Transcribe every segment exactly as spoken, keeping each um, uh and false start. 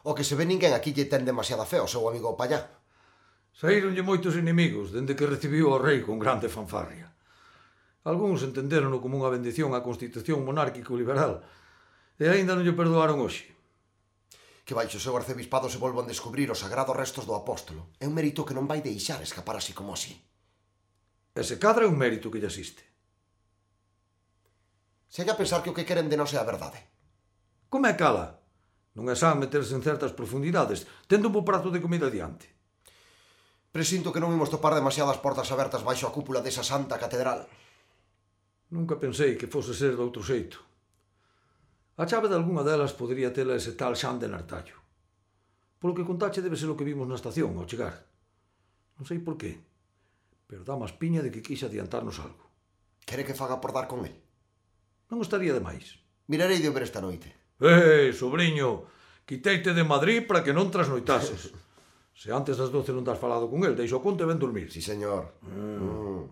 O que se ve ninguén aquí lle ten demasiada fe ao seu amigo Pallá. Saíronlle moitos inimigos dende que recibiu o rei con grande fanfarria. Algúns entenderono como unha bendición á Constitución monárquico-liberal e aínda non lle perdoaron hoxe. Que baixo o seu arcebispado se volvan descubrir os sagrados restos do apóstolo. É un mérito que non vai deixar escapar así como así. Ese cadra é un mérito que lle asiste. Se hai a pensar que o que queren de nós é a verdade. Como é cala? Non é san meterse en certas profundidades, tendo un bo prato de comida diante. Presinto que non imos topar demasiadas portas abertas baixo a cúpula desa santa catedral. Nunca pensei que fose ser doutro xeito. A chave de algunha delas podería tela ese tal Xan de Nartallo. Polo que contache debe ser o que vimos na estación ao chegar. Non sei por qué, pero dá máis piña de que quixe adiantarnos algo. Quere que faga por dar con el? Non estaría de máis. Mirarei de ver esta noite. Eh, sobrinho, quiteite de Madrid para que non trasnoitases. Se antes das doce non das falado con el, deixo o conte ben dormir. Sí, señor. Mm.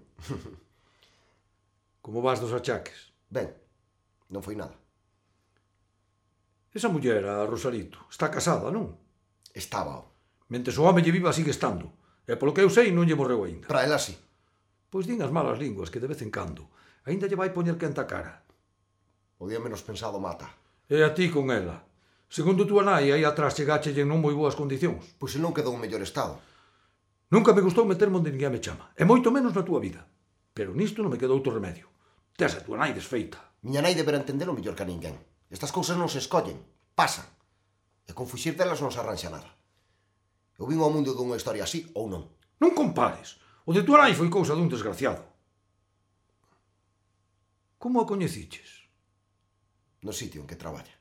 Como vas dos achaques? Ben, non foi nada. Esa muller, a Rosarito, está casada, non? Estaba. Mentes o home lle viva sigue estando. E polo que eu sei non lle morreu aínda. Para ela sí. Pois din as malas linguas que de vez en cando aínda lle vai poñer quenta cara. O día menos pensado mata. E a ti con ela. Segundo túa nai, aí atrás chegáchelle en non moi boas condicións. Pois se non quedou en mellor estado. Nunca me gustou meterme onde ninguén me chama. E moito menos na túa vida. Pero nisto non me quedou outro remedio. Tes a túa nai desfeita. Miña nai deberá entendelo mellor que a ninguén. Estas cousas non se escollen, pasan. E con fuxir delas non se arranxa nada. Eu vim ao mundo dunha historia así ou non. Non compares. O de túa nai foi cousa dun desgraciado. Como a coñeciches? No sitio en que traballa.